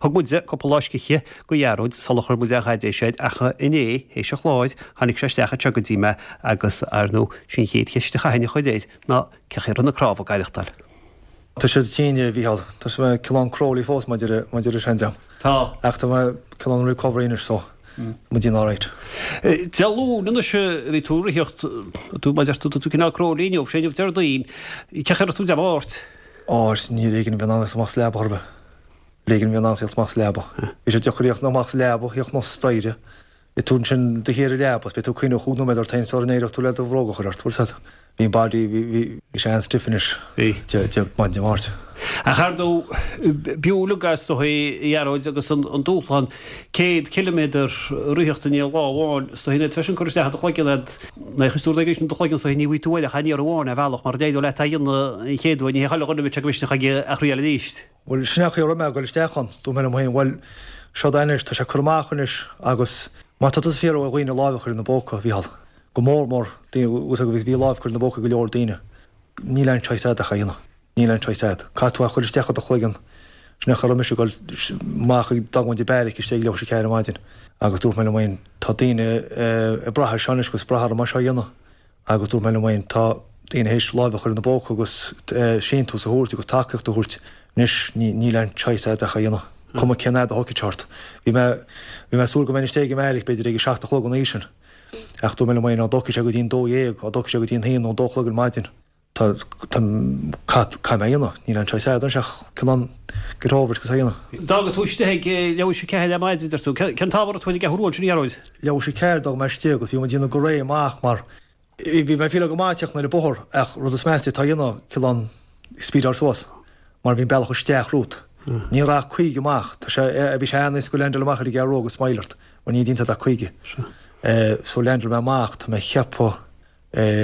Thug muid cúpla lá scíthe do Ghearóid sular chuir muid aon chaidéis air ach inné, théis an chláir, tháinig sé isteach anseo go dtí mé agus, ar ndóigh, sin an chéad cheist a chaithfinn a chur air ná cén chaoi a raibh na cnámha ag aireachtáil. Tá siad tinn, a Mhícheáil. Tá mé cineál crawly fós maidir maidir leis an dream. Tá. Ach tá mé cineál recovery anois so tá muid in alright. Dé Luain anois a bhí tú ag ritheacht, tú mar a deir tú, tá tú cineál crawly inniu, sé inniu Déardaoin. Cén chaoi a raibh tú Dé Máirt? Á, ní ar éigean a bhí in ann amach as leaba chor ar bith. Ar éigean a bhí in ann theacht amach as leaba. Bhí sé deacair theacht amach as leaba, theacht anuas staighre. Beidh tú ansin do shuí ar an leaba, beidh tú ag cuimhneamh chúig nóiméad ort féin sula n-éireoidh tú le do bhróga a chur ort, bhfuil 'fhios a'd. Bhí an body, bhí, bhí, bhí sé an-stiff anois. Bhí. Dé, Dé, maidin Dé Máirt. Ach ar ndóigh, b'fhiú uilig is dóigh a Ghearóid agus an, an dúshlán 100 ciliméadar a ritheacht i ndiaidh lá amháin, is dóigh an oiread sin cur isteach i do chloigeann a'd, nuair a chuireann tú rud éigin i do chloigeann is dóigh ní bhfaighidh tú uaidh ach aniar amháin ar bhealach mar d'éireodh leat é a dhéanamh an chéad uair, ní hé chuile dhuine a bheadh sé go misneach aige a thriail arís. Bhuel, sin é an chaoi a raibh mé ag dul isteach ann. Dúirt mé liom féin, bhuel, seo é anois, tá sé curtha amach anois agus má tá tusa ag fiafraí ó dhaoine lámh a chur ina bpóca, a Mhícheál, go mór mór daoine, agus bhí lámh curtha ina bpóca ag go leor daoine, níl aon choice a'd ach é a dhéanamh. Níl aon choice a'd. Caithfidh tú é a chur isteach i do chloigeann. Sin é an chaoi a raibh mise ag dul amach ag d'fhágaint an beairic istigh ag leathuair tar éis a 4 ar maidin agus dúirt mé liom féin, tá daoine ag brath ar seo anois agus ag brath orm é seo a dhéanamh. Agus dúirt mé liom féin, tá daoine théis láimh a chur ina bpóca agus síntiús a thabhairt agus tacaíocht a thabhairt, anois níl aon choice a'd ach é a dhéanamh, cuma cén fhad a thógfaidh sé ort. Bhí mé, bhí mé ag súil go mbeinn istigh ag an mbeairic b'fhéidir ag a seacht a chlog an oíche sin, ach dúirt mé liom féin, á dtógfaidh sé go dtí an 12, á dtógfaidh sé go dtí an haon nó an dó a chlog ar maidin, tá, tá, caith, caithfidh mé é a dhéanamh, níl aon choice a'd anois ach cineál get over it agus é a dhéanamh. D'fhága tú istigh ag leathuair tar éis a 4 ar maidin, deir tú. Cén t-am a raibh tú ar an gCeathrú Rua ansin, a Ghearóid? Leathuair tar éis a 4 d'fhág mé istigh agus bhí muid ag déanamh go réidh amach mar bhí mé ag fíleáil go maith ag tíocht ar an bóthar ach rud is measa atá a dhéanamh cineál speedáil suas mar bhí an bealach isteach romhat. Ní raibh ach 50 amach. Tá sé, bhí sé an-éasca leaindeáil amach ar an gCeathrú Rua agus smile ort mar ní déantar ach 50. So leaindeáil mé amach, tá mé ag ceapadh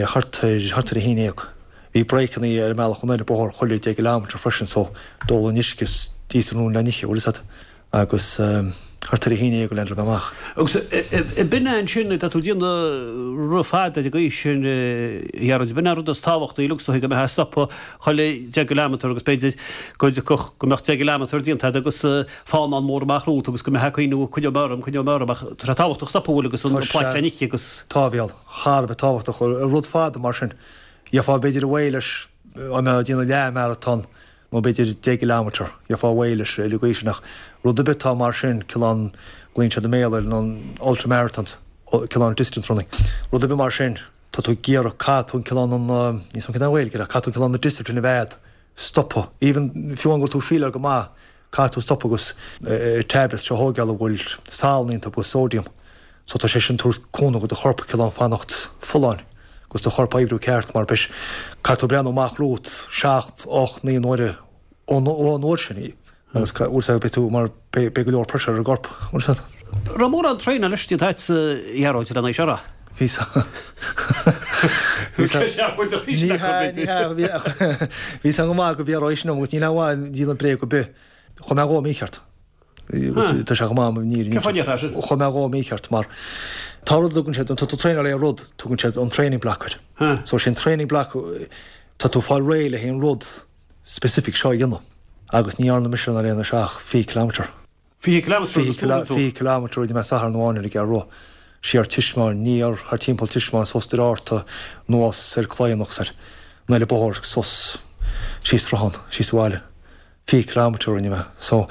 thart ar, thart ar a haon dhéag. Bhí breakanna ar an mbealach anoir an bóthar chuile 10 gcileámeter freisin so d'ólfainn uisce is d'íosfainn rún le n-ithe, bhfuil fhios a'd. Agus thart ar a haon dhéag a leaindeáil mé amach. Agus b'in é ansin, tá tú ag déanamh rith fada ar an gcaoi sin, a Ghearóid, b'in é an rud is tábhachtaí uilig is dóigh go mbeifeá ag stopadh chuile 10 gcileámeter agus b'fhéidir go dtiocfadh go mbeadh 10 gcileámeter déanta a'd agus fánán mór amach romhat agus go mbeifeá ag cuimhneamh coinneoidh mé orm, coinneoidh mé orm ach tá sé tábhachtach stopadh bhfuil agus an plaic le n-ithe agus. Tá, a Mhícheál. thar a bheith tábhachtach. Rud fada mar sin, gheofá b'fhéidir away leis dá mbeifeá ag déanamh leath-mharatón nó b'fhéidir 10 gcileámeter, gheofá away leis ar an gcaoi sin ach rud ar bith atá mar sin, cineál, glaonn siad i mBéarla ar an ultra-marathons, cineál distance running, rud ar bith mar sin, tá tú ag iarraidh, caithfidh tú an cineál an, níl 's a'm cén Ghaeilge air ach caithfidh tú an cineál na discipline a bheith a'd. stopadh. Even fiú amháin go bhfuil tú fíleáil go maith, caithfidh tú stopadh agus tablets seo a thóigeáil a bhfuil salann iontu agus sodium. So tá sé sin tabhairt cúnamh do do chorp cineál fanacht folláin agus do chorp oibriú ceart mar beidh caithfidh tú breathnú amach romhat seacht, ocht, naoi n-uaire ón uair sin agus bhfuil 's beidh tú mar beidh go leor pressure ar an gcorp. Bhfuil 's a'd. Raibh mórán traenáil anois déanta a'd a Ghearóid lena seo a rá? Bhí sa Bhí sa Ní hea, ní hea, bhí bhí sa go maith go bhí sin agus níl aon mhaith déanamh bréag ar bith. Chuaigh mé dhó mícheart. Tá sé go maith ní Cén fáth a sin? Chuaigh mé dhó mícheart mar tá rud a dtugann siad, tá tú traenáil ar rud, tugann siad an training block air. So sin training block tá tú fáil réidh le haon rud specific seo a dhéanamh agus ní dhearna mise ar aon ach 20 kilometre. 20 kilometre agus tú? 20 kilometre rinne mé Satharn amháin ar an gCeathrú Rua. Siar Tismeáin, aniar thar timpeall Tismeáin suas Doire Fhatharta, anuas ar Cloigheannach 's ar an eile bóthar suas síos Sruthán, síos abhaile. 20 kilometre rinne mé. So,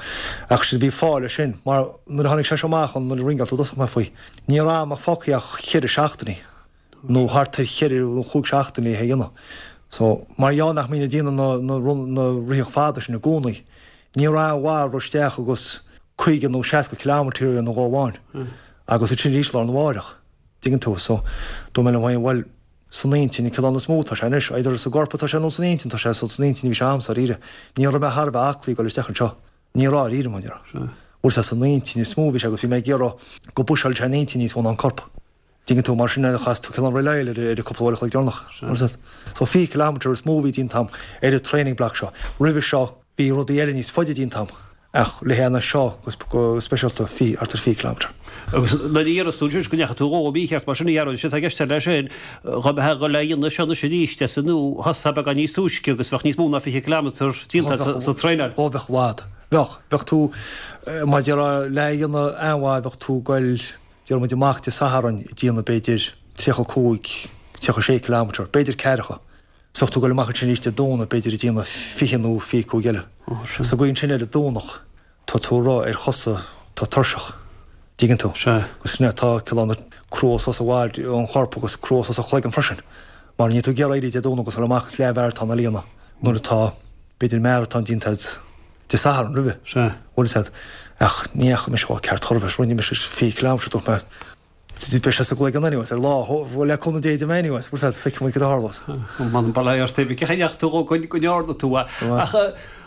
ach sin bhí fáth leis sin mar nuair a tháinig sé seo amach an nuair a ringeáil tú i dtosach mé faoi, ní raibh am ach fágtha ach cheithre seachtainí. nó thart ar cheithre nó chúig seachtaine é a dhéanamh. So, mar gheall nach mbínn ag déanamh na, na, na ritheacht fada sin i gcónaí, ní raibh aon mhaith rith isteach agus 50 nó 60 kilometre a dhéanamh lá amháin. Agus ansin arís lá arna mháireach. Dtuigeann tú? So, dúirt mé liom féin, bhuel, san intinn, an cineál is mó atá sé anois, either sa gcorp atá sé nó san intinn atá sé, so san intinn a bhí sé a'msa, dáiríre. Ní raibh mé thar a bheith aclaí ag dul isteach anseo. Ní raibh, dáiríre, mar dhea. Bhuel, sea, san intinn is mó a bhí sé agus bhí mé ag iarraidh go bpuiseáil sé an intinn níos mó ná an corp. Dtuigeann tú, mar sin a chas tú cineál rely ar ar an cúpla uair a chloig deireanach. So 20 kilometre is mó a bhí déanta a'm ar an training block seo. Roimhe seo bhí rudaí eile níos faide déanta a'm. Ach le haghaidh na seo go speisialta, thart ar 20 kilometre. Agus nuair a déarfas tú ansin go ndeachaigh tú dhó mícheart mar sin a Ghearóid, is é atá i gceist leis sin, dhá mbeifeá ag dul a dhéanamh seo anois arís as an nua, thosófá beagán níos túisce agus bheadh níos mó ná 20 kilometre déanta agat sa traenáil. Ó bheadh i bhfad. Bheadh. Bheadh tú, mar a déarfá, le a dhéanamh an-mhaith bheadh tú ag goil, déarfaidh muid amach Dé Sathairn ag déanamh b'fhéidir 35, 36 kilometre, b'fhéidir ceathracha. Bheadh tú ag goil amach ansin arís Dé Domhnaigh, b'fhéidir ag déanamh 20 nó 25 eile. Sa gcaoi ansin ar an Domhnach, tá tú ag rith ar chosa atá tuirseach. Dtuigeann tú? Agus sin é atá cineál crua suas i bhfad ón chorp agus crua suas an chloigeann freisin. Mar níl tú ag iarraidh éirí Dé Domhnaigh agus dul amach is leathmharatón a dhéanamh nuair atá, b'fhéidir, maratón déanta agat Dé Sathairn roimhe. Bhfuil fhios agat? Ach ní dheachaigh mise chomh ceart chor ar bith. Rinne mise 20 kilometre, dúirt mé, Beidh sé sa gcloigeann anyways, ar lá, le cúnamh Dé déarfaidh mé anyways, bhfuil fhios agat, feicfidh muid cad a tharlós. M'anam bail ort, cén chaoi a ndeachaigh tú dhó go ndearna tú é. Ach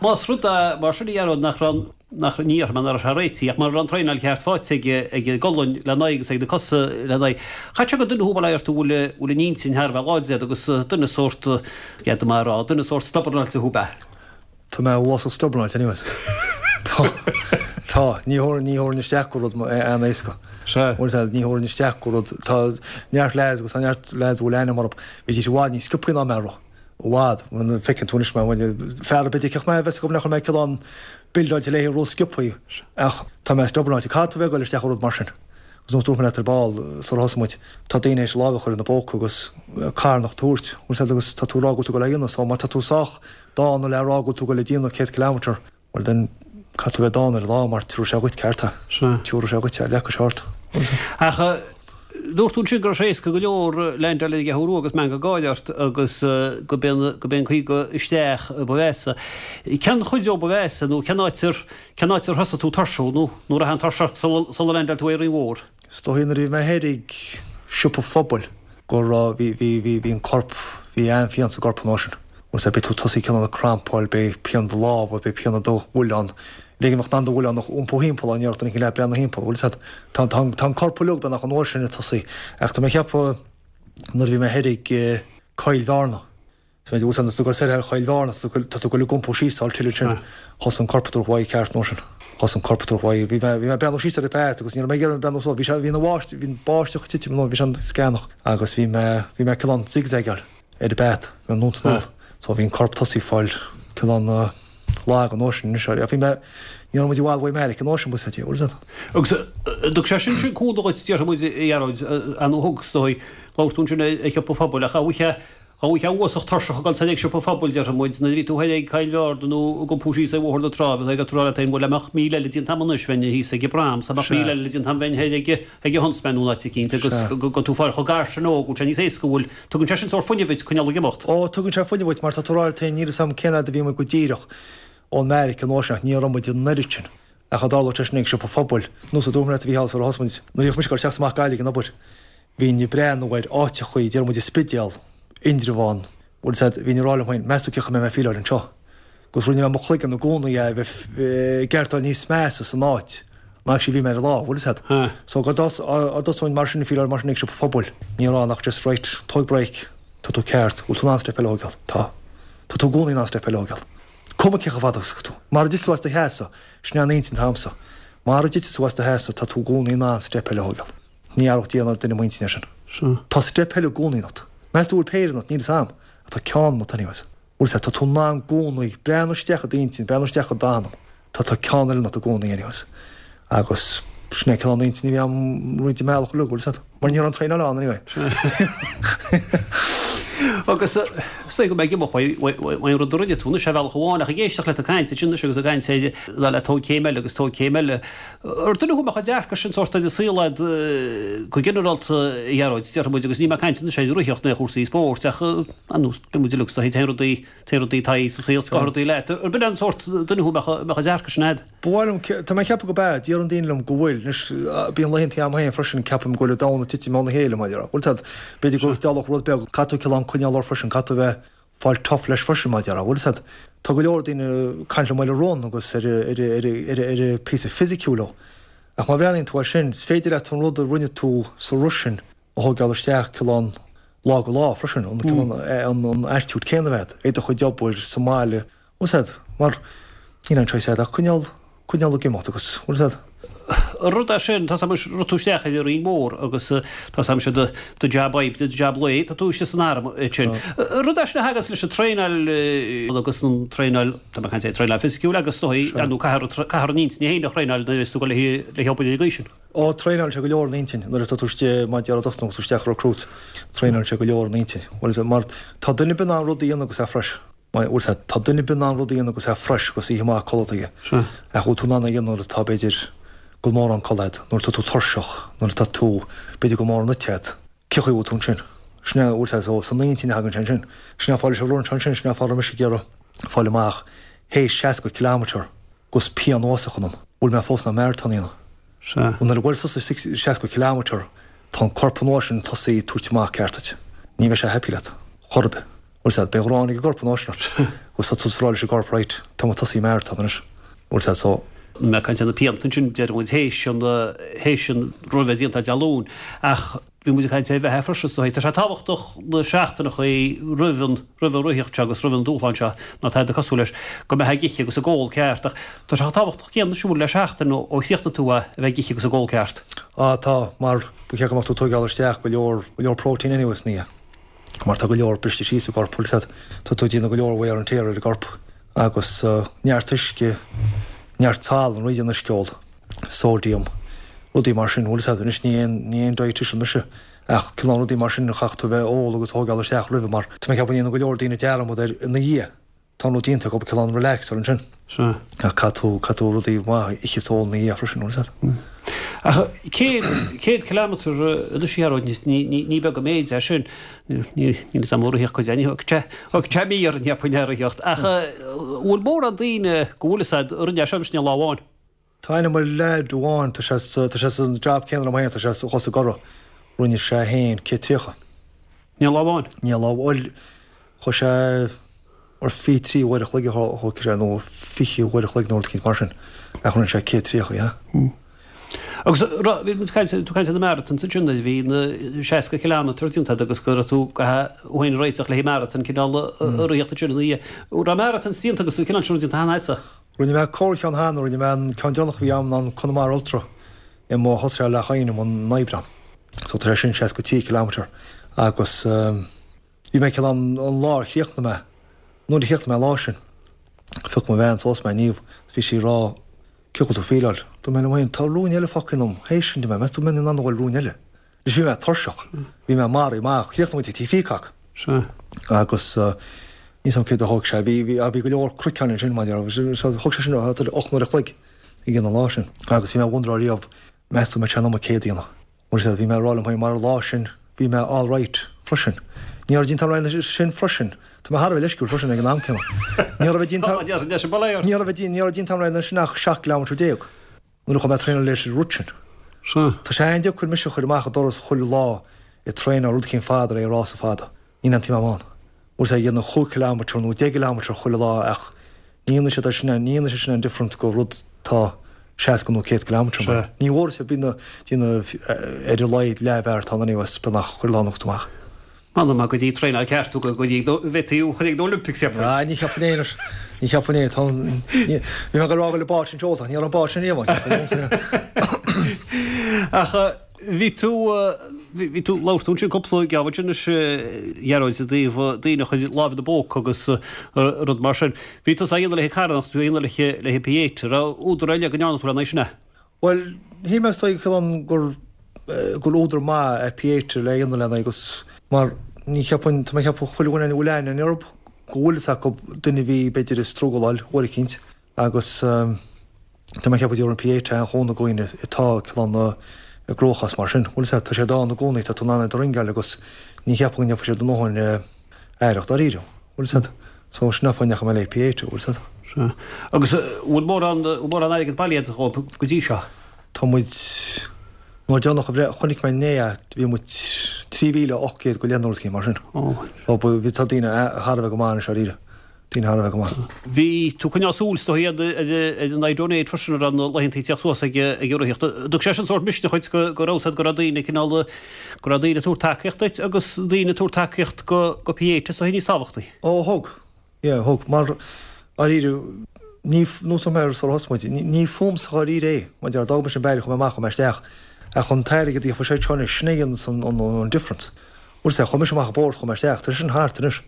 más rud é, mar sin a Ghearóid, nach raibh, nach, ní déarfaidh mé nach raibh sé réitithe, ach mura raibh an traenáil cheart faighte ag, ag an gcolainn lena aghaidh agus ag na cosa lena aghaidh, chaithfeadh sé gur duine thú, bail ort, a bhfuil, bhfuil an intinn thar a bheith láidir agus duine sórt, d'fhéadfadh mé a rá, duine sórt stubbornáilte thú, ab ea? Tá mé uasal stubbornáilte anyways. Tá. Tá. Ní thabharfainn, ní thabharfainn isteach go rud an-éasca. Sea. Bhfuil fhios agat, ní thabharfainn isteach go rud, tá neart lads agus tá neart lads a bhfuil ainm orthu, bhídís i bhfad níos sciobthaí ná mé a rith. I bhfad. Bhuel, feiceann tú anois mé, bhuel, fear ar bith a d'fheicfeadh mé, bheadh fhios agam nach raibh mé cineál buildáilte le haghaidh rith sciobthaí. Ach tá mé stubbornáilte. Caithfidh tú bheith ag dul isteach i rud mar sin. Agus nós dúirt mé leat ar ball, sular thosaigh muid, tá daoine théis lámh a chur ina bpóca agus carnach a thabhairt, bhfuil fhios agat, agus tá tú ag rá go bhfuil tú ag dul a dhéanamh, so má tá tú sách dána le rá go bhfuil tú ag dul a déanamh 100 kilometre, bhuel then caithfidh tú a bheith dána ar an lá mar tiúrfaidh sé dhuit ceart é. Sea. Tiúrfaidh sé dhuit é, leagfaidh sé ort. Ach dúirt tú ansin go raibh sé éasca go leor leaindeáil ar an gCeathrú Rua agus meangadh gáire ort agus go b'é an 50 isteach ba mheasa. Cén chuid dhó ba mheasa nó cén áit ar cén áit ar thosaigh tú tuirsiú nó nó raibh an tuirse ort sula leaindeáil tú ar an Rinn Mhór? Is dóigh nuair a bhí mé thoir ag siopa phobail go raibh, bhí, bhí, bhí, bhí an corp, bhí an-phian sa gcorp an uair sin. Bhfuil fhios agat, beidh tú tosaí cineál ag crampáil, beidh pian i do lámha, beidh pian i do mhuileann, le go mbeadh in ann do mhuileann a iompú thimpeall, á ndéarfadh duine éicint leat breathnú thimpeall, bhfuil fhios agat. Tá, tá, tá an corp uilig beagnach an uair sin ag tosaí. Ach tá mé ag ceapadh nuair a bhí mé thoir ag Coill Bhearna, Tá tú ag dul soir thar Choill Bhearna, tá tú ag dul ag iompú síos thall tuilleadh ansin. Thosaigh an corp ag tabhairt uaidh ceart an uair sin. Thosaigh an corp ag tabhairt uaidh. Bhí mé, bhí mé ag breathnú síos ar an bpath agus ní raibh mé ag iarraidh breathnú suas. Bhí sé, bhí an bháisteach, bhí an báisteach ag titim nó bhí sé an-sceanach agus bhí mé, bhí mé cineál zigzagáil ar an bpath, bhí mé anonn 's anall. So bhí an corp tosaí ag fáil cineál lag an uair sin anois. Ach bhí mé, ní raibh muid i bhfad uaidh Meiriceá an uair sin, bhfuil fhios agat, bhfuil fhios agat. Agus an dtug sé sin sin cúnamh dhuit, déarfaidh muid, a Ghearóid, ar ndóigh thug, is dóigh, labhair tú ansin ar shiopa phobail ach a bhuíche, Dá mbeifeá uafásach tuirseach ag dul soir ag siopa phobail, déarfaidh muid, nuair a bhí tú thoir ag Coill Bhearna nó ag iompú síos ar Bhóthar na Trá, bheifeá ag rá leat féin, bhuel, dá mbeadh míle eile déanta agam anois, bheinn thíos ag an bProm, dá mbeadh míle eile déanta agam, bheinn thoir ag ag an Huntsman nó in áit eicínt agus go bhfuil tú ag fáil chomh gar sin dhó, go bhfuil sé níos éasca, bhfuil, tugann sé sin sórt fuinnimh duit coinneáil ag imeacht. Ó, tugann sé fuinneamh duit mar tá tú ag rá leat féin, níl fhios agam cén fhad a bhí muid go díreach ón mbeairic an uair sin ach ní raibh muid an oiread sin. Ach dá dtarlódh sé sin ag siopa phobail, nós a dúirt mé leat a Mhícheál sular thosaigh muid, nuair a bhíodh mise ag dul isteach is amach Gaillimh ag an obair, bhínn ag breathnú ar áiteachaí, déarfaidh muid an Spidéal, Indreabhán, bhfuil fhios agat, bhínn ag rá liom féin, meas tú cén chaoi a mbeidh mé ag feeláil anseo? Agus rinne mé mo chloigeann i gcónaí é a bheith ag ceartáil níos measa san áit ná actually bhí mé ar an lá, bhfuil fhios agat. So go dtosóinn mar sin ag feeláil mar sin ag siopa phobail, ní raibh ann ach just right, tóg break, tá tú ceart, bhfuil tú in ann step eile a thógáil? Tá. Tá tú i gcónaí in ann step eile a thógáil. Cuma cé chomh fada agus atá tú. Mara dtitfidh tú as do sheasamh, sin é an intinn atá agamsa. Mara dtitfidh tú as do sheasamh, tá tú i gcónaí in ann step eile a thógáil. Ní athródh Dia ná duine m'intinn air sin. Tá step eile i gcónaí ionat. Meas tú an bhfuil péire ionat? Níl fhios a'm. Ach tá ceann ionat anyways. Bhfuil fhios a'd, tá tú in ann i gcónaí breathnú isteach i d'intinn, breathnú isteach i d'anam. Tá tá ceann eile ionat i gcónaí anyways. Agus sin é cineál an intinn a bhí a'm roinnt den mbealach uilig, bhfuil fhios a'd. Mar ní raibh an traenáil ann anyway. Agus is dóigh go mbeidh imeacht uaidh an rud a rinne tú anois ar bhealach amháin ach ag éisteacht leat ag caint ansin anois agus ag caint ar dul le tóg céim eile agus tóg céim eile. Ar duine thú a mbeadh an dearcadh sin sórt ar an saol a'd go ginearálta a Ghearóid, déarfaidh muid, agus níl mé ag caint anois ar reathaíocht nó ar chúrsaí spóirt ach ar nós, beidh muid uilig is dóigh, téann rudaí, téann rudaí taghd sa saol, scoth rudaí leat. Ar b'in an sórt duine thú a mbeadh an dearcadh sin a'd? Ba mhaith liom, tá mé ag ceapadh go b'ea, deireann daoine liom go bhfuil. Anois, bíonn laethanta a'm féin freisin, ceapaim go bhfuil an domhan ag titim óna chéile, mar a déarfá. Bhfuil fhios a'd, b'fhéidir go dtarlódh rud beag, caithfidh tú cineál coinneáil ort freisin, caithfidh tú a bheith, fáil tough leis freisin, mar a déarfá. Bhfuil fhios a'd, tá go leor daoine ag caint liom ar an run agus ar ar ar an píosa fisiciúil dhó. Ach má bhreathnaíonn tú air sin, is féidir leat an rud a rinne tú sa rith sin a thógáil isteach cineál lá go lá freisin, an cineál an attitude céanna a bheith a'd, ar do chuid obair sa mbaile, Bhfuil fhios a'd, mar níl aon choice a'd ach coinneáil. coinneáil ag imeacht agus, bhfuil a fhios a'd. An rud é sin, tá 's a'm anois, rith tú isteach ar an Rinn Mhór agus tá 's a'm sé do do jab oibre, do jab lae, tá tú istigh san arm ansin. An rud é sin a thaganns leis an traenáil agus an traenáil, tá mé ag caint ar traenáil fisiciúil agus is dóigh, ar ndóigh, caithfear caithfear an intinn féin a thraenáil nuair a bheas tú ag dul le hobair ar an gcaoi sin. Ó, traenálann sé go leor an intinn nuair atá tú istigh, mar a déarfá ag tosnú agus tú isteach recruit, traenálann sé go leor an intinn. Bhfuil a fhios a'd, mar tá duine ar bith in ann rud a dhéanamh agus é fresh. Bhfuil a fhios a'd, tá duine ar bith in ann rud a dhéanamh agus é fresh agus oíche mhaith codlata aige. Sea. Ach bhfuil tú in ann é a dhéanamh nuair atá, b'fhéidir, go bhfuil mórán codlata a'd, nuair atá tú tuirseach, nuair atá tú, b'fhéidir go bhfuil mórán ite a'd. Cé chaoi a bhfuil tú ansin? Sin é, bhfuil a fhios a'd, so san intinn a thagann sé ansin. Sin é fáth leis an run seo ansin, sin é fáth a raibh mise ag iarraidh fáil amach théis 60 kilometre 'gus pian uafásach ionam, bhfuil mé fós in ann marathon a dhéanamh? Sea. Nuair a bhfuil tusa 60 kilometre, tá an corp an uair sin tosaithe ag tabhairt amach ceart duit. Ní bheidh sé happy leat, chor ar bith. Bhfuil a fhios a'd, beidh gráin ag an gcorp an uair sin ort. Agus tá tusa ag rá leis an gcorp, right, tá mé tosaithe marathon anois. Bhfuil a fhios a'd, so. Mé ag caint ar na pianta ansin, deir muid théis an, théis an rith a bheith déanta Dé Luain, ach bhí muid ag caint ar bheith fresh is dóigh. Tá sé tábhachtach na seachtaineachaí roimh an, roimh an reathaíocht seo agus roimh an dúshlán seo, ná tada cosúil leis, go mbeifeá ag ithe agus ag ól ceart, ach tá sé chomh tábhachtach céanna siúl le seachtain ó chríochnaigh tú é a bheith ag ithe agus ag ól ceart. Á, tá, mar ba cheart go mbeadh tú ag tóigeáil isteach go leor, go leor protein anyway san oíche. mar tá go leor briste síos sa gcorp, bhfuil a fhios a'd, tá tú ag déanamh go leor wear and tear ar an gcorp agus neart uisce, neart salann, roimh an uisce a ól, sodium, rudaí mar sin, bhfuil a fhios a'd, anois ní aon, ní aon dietitian mise ach cineál rudaí mar sin a chaithfidh tú a bheith ag ól agus a thógáil isteach roimhe mar tá mé ag ceapadh go ndéanann go leor daoine dearmad air ina dhiaidh. Tá an rud déanta acu cineál relax ar ansin. Sea. Ach caithfidh tú, caithfidh tú rudaí maith a ithe is a ól ina dhiaidh freisin, bhfuil a fhios a'd. Ach 100, 100 kilometre anois a Ghearóid, ní, ní, ní beag an méid é sin. Ní, níl fhios a'm an rithfeadh cuid againn, thógfadh sé, thógfadh sé mí orainn cheapfainn é a ritheacht. Ach bhfuil mórán daoine go bhfuil fhios a'd a rinne é seo anois in aon lá amháin? Tá aithne agam ar leaid amháin, tá sé sa, tá sé san job céanna liom féin, tá sé thuas i gCorra, rinne sé féin 130. In aon lá amháin? In aon lá, bhuel, chuaigh sé ar 23 uair a chloig a thóg sé, nó 20 uair a chloig nó rud eicínt mar sin, ach rinne sé 130, yeah. Agus bhí muid ag caint, tú ag caint ar na marathons ansin, nuair a bhí na 60 kilometre déanta agat agus go raibh tú go thú féin ag réiteach le haghaidh marathon cineál a ritheacht ansin ina dhiaidh. Raibh marathons déanta agus an cineál sin déanta cheana agatsa? Rinne mé corrcheann cheana, rinne mé an ceann deireanach a bhí agam ná an Conamara Ultra i mo thosaigh sé i Leath Chaoin in Aibreán. So tá sé sin 63 kilometre agus bhí mé cineál an an lá a chríochnaigh mé, nuair a chríochnaigh mé an lá sin, phioc mo bhean suas mé Niamh, bhí sí ag rá cén chaoi bhfuil tú feeláil? Dúirt mé liom féin tá run eile fágtha ionam, théis sin, meas tú an mbeinn in ann a dhul run eile? Anois bhí mé tuirseach, bhí mé maraithe amach, chríochnaigh muid ag Tigh Pheacock. Sea. Agus níl 'fhios a'm céard a thóg sé, bhí, bhí, bhí go leor cnoiceáin ansin, mar a déarfá, so thóg sé sin thart ar 8 n-uair a chloig ag an lá sin. Agus bhí mé ag wonderáil riamh, meas tú an mbeidh sé in am an 100 a dhéanamh. Mar sea, bhí mé ag rá liom féin, mar an lá sin, bhí mé all right freisin. Ní raibh déanta agam sin freisin. Tá mé thar a bheith leisciúil freisin ag an am céanna. Ní raibh déanta, ní raibh, ní raibh déanta agam sin ach 17 kilometre. Nuair a chuaigh mé ag traenáil leis an rud sin. Sea. Tá sé an-deacair mise a chur amach an doras chuile lá ag traenáil rud eicínt fada le rása fada. Ní aontaím am ann. Bhfuil sé ag déanamh chúig kilometre nó deich gcileamatar chuile lá ach ní dhéanfaidh siad é sin, ní dhéanfaidh sé sin aon difference go rud tá 60 nó 100 kilometre. Sea. Ní bhfuair sé bíonn déanamh ar a laghad leathmharatón anyways beagnach chuile lá anuas amach. M'anam go dtí traenáil ceart tú go dtí go bhféadfaí thú a chur ag na Olympics cheapfainn. Ah ní cheapfainn é anois. Ní cheapfainn é. Tá ní bhí mé ag rá go bhfuil an bád sin seolta ach ní raibh an bád sin riamh ann cheapfainn. Ach bhí tú bhí tú labhair tú ansin cúpla geábh ansin anois a Ghearóid i dtaobh daoine a chuir lámh ina bpóca agus rud mar sin. Bhí tusa á dhéanamh le carthanacht, bhí tú á dhéanamh le le Pieta. Raibh údar eile go ndearna tú lena aghaidh sin é? Bhuel, shíl mé is dóigh liom gur gur údar maith é Pieta le dhéanamh lena aghaidh agus mar ní cheapfainn, tá mé ag ceapadh chuile dhuine a bhfuil aithne orthu go bhfuil fhios acu duine a bhí b'fhéidir ag struggleáil uair eicínt agus tá mé ag ceapadh déarfainn Pieta an-chúnamh do dhaoine atá cineál i gcruachás mar sin. Bhfuil fhios agat, tá siad ann i gcónaí, tá tú in ann iad a ringeáil agus ní cheapfainn go ndéanfaidh siad a ndóthain aireacht dáiríre. Bhfuil fhios agat? So sin an fáth a ndeachaigh mé le Pieta, bhfuil fhios agat? Sea. Agus bhfuil mórán, bhfuil mórán airgid bailithe agat dhóibh go dtí seo? Tá muid, nuair deireanach a bhreith, chonaic mé inné é, bhí muid 3,800 go leith nó rud eicínt mar sin. Ó. So bhí, tá daoine thar a bheith go maith anois dáiríre. Daoine thar a bheith go maith. Bhí tú ag coinneáil súil is dóigh ar ar an iDonate freisin a raibh na laethanta ag tíocht suas ag ag an reathaíocht. Thug sé sin sórt misneach dhuit go go raibh fhios agat go raibh daoine cineál go raibh daoine ag tabhairt tacaíocht duit agus daoine ag tabhairt tacaíocht go go Pieta is dóigh níos tábhachtaí. Ó thug, yeah, thug, mar, dáiríre. Ní, nós mar a thosaigh muid, ní fúmsa dháiríre é, mar a déarfá, d'fhág mise an baile, chuaigh mé amach, chuaigh mé isteach, ach an t-airgead a gheobhaidh sé seo anois, sin é a dhéananns an difference. Bhfuil 's a'd, chuaigh mise amach an bóthar, chuaigh mé isteach, tá sé sin thart anois,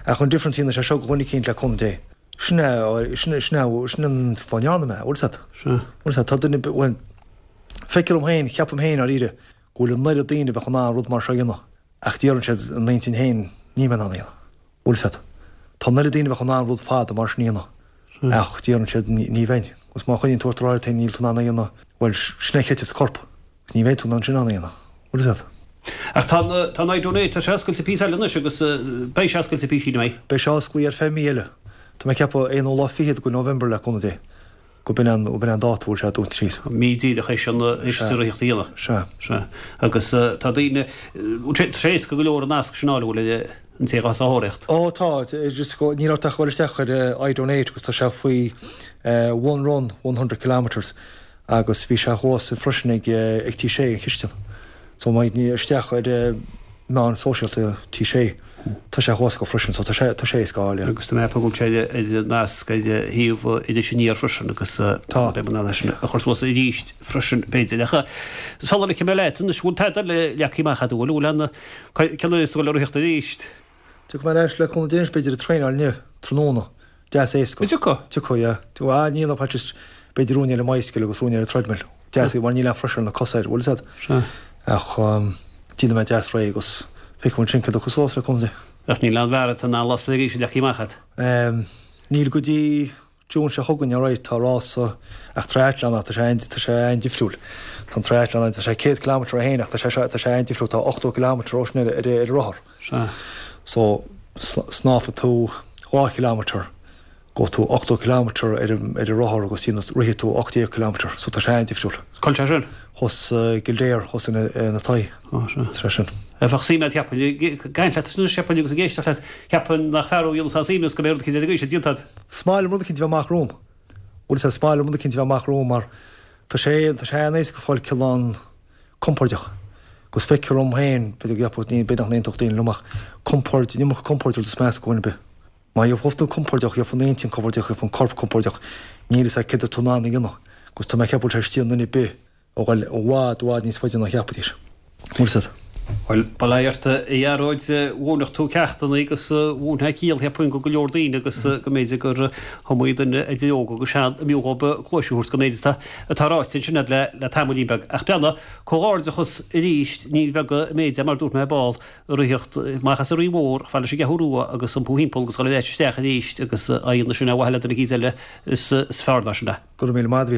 ach an difference a dhéanann sé seo do dhuine eicínt le cúnamh Dé. Sin é, sin é, sin é, sin an fáth a ndearna mé é, bhfuil 's a'd. Bhfuil 's a'd, tá duine, bhuel, feictear dom féin, ceapaim féin, dháiríre, go bhfuil an oiread daoine a bheadh in ann rud mar seo a dhéanamh, ach deireann siad ina n-intinn féin, níl mé in ann é a dhéanamh. Bhfuil 's a'd. Tá an oiread daoine a bheadh in ann rud fada mar sin a dhéanamh, ach deireann siad, ní bheinn. Agus má choinníonn tú ort ag rá leat féin níl tú in ann é a dhéanamh, bhuel, sin é a chreidfeas an corp, agus ní bheidh tú in ann sin in ann é a dhéanamh. Bhfuil 's a'd. Ach tá an, tá an iDonate, tá sé oscailte píosa eile anois agus beidh sé oscailte píosa eile, an mbeidh? Beidh sé osclaí ar feadh mí eile. Tá mé ag ceapadh aonú lá fichead de November le cúnamh Dé. Go b'in an, b'in an dáta a bhfuil sé dúnta síos. Mí díreach théis an, théis an rith a dhéanamh. Sea. Sea. Agus tá daoine, tá sé éasca go leor an nasc sin a fháil, an bhfuil, an té atá sa thóraíocht? Ó tá, just go, níl ort ach dul isteach ar iDonate agus tá sé faoi One Run, 100 Kilometres agus bhí sé thuas freisin ag, ag Tí Sé, an chistin. So má théann isteach ar meáin sóisialta Tí Sé, tá sé thuas acu freisin, so tá sé, tá sé éasca a fháil, yeah. Agus tá mé ag ceapadh go bhfuil sé ar an nasc ar shuíomh Iris Aniar freisin agus Tá. beidh mé in ann é sin a chur suas arís freisin b'fhéidir. Ach sula ligfidh mé leat anois, bhfuil tada eile leagtha amach agat, bhfuil, bhfuil aon, cén uair is dóigh le ritheacht arís? Tiocfaidh mé ar ais le cúnamh Dé anois b'fhéidir ag traenáil inniu, tráthnóna. Deas éasca. Tiocfaidh? Tiocfaidh, yeah. Tiocfaidh. Ah, níl ach just b'fhéidir uain ar an mbicycle agus uain ar an treadmill. Deas mar níl aon pressure ar na cosa air, bhfuil 'fhios a'd? Sea. Ach déanfaidh mé deas réidh agus feicfidh muid ansin céard a thiocfas suas le cúnamh Dé. Ach níl aon mharatón ná rás eile arís leagtha amach a'd? Níl go dtí June seo chugainn, alright, tá rása, ach triathlon ach tá sé an, tá sé an-difriúil. Tá an triathlon ann, tá sé 100 kilometre é féin ach tá sé seo, tá sé an-difriúil, tá 80 kilometre ó sin ar, ar, ar rothar. Sea. So, snámhfaidh tú 2 kilometre, gabhfaidh tú 80 kilometre ar an, ar an rothar agus déanfaidh, rithfidh tú 18 kilometre, so tá sé an-difriúil. Cá bhfuil sé sin? Thuas i gKildare, thuas ina, ina Toigh. Ó, sea. Tá sé sin. Bheadh suim a'd, cheapfainn, ag caint leat anois, cheapfainn, agus ag éisteacht leat, cheapfainn nach fear ó dhéanamh sa suim is go mbeidh rud eicínt ar an gcaoi sin déanta a'd. Is maith liom rud eicínt a bheith amach romham. Bhfuil 'fhios a'd, is maith liom rud eicínt a bheith amach romham mar tá sé, tá sé an-éasca fáil cineál compordach. Agus feictear dom féin, b'fhéidir go gceapfadh, ní, b'fhéidir nach n-aontódh daoine liom ach compord, an iomarca compoird rud is measa do dhuine ar bith. Má gheobhaidh tú compordach, gheobhaidh an intinn compordach, gheobhaidh an corp compordach, níl 'fhios a'd céard atá tú in ann a dhéanamh. Agus tá mé ag ceapadh go bhfuil sé istigh i nduine ar bith. a dhul i bhfad, i bhfad níos faide ná cheapfaidís. Bhfuil 'fhios a'd. Bhuel, bail ó Dhia ort, a Ghearóid, mhúinfeadh tú ceachtanna agus mhúinfeá ciall, cheapfainn, go go leor daoine agus go mb'fhéidir gur iomaí duine idir óg agus sean a mb'fhiú dhóibh cluais a thabhairt don méid atá atá ráite ansin a'd le le tamaillín beag. Ach breathnaigh, comhghairdeachas arís, ní beag an méid é mar dúirt mé ar ball, ritheacht amach as an Rinn Mhór, chomh fada leis an gCeathrú Rua agus iompú thimpeall agus dhul ar ais isteach arís agus á dhéanamh sin ar mhaithe le duine eicínt eile is fearr ná sin é. Go raibh míle maith a'd, a Mhícheál.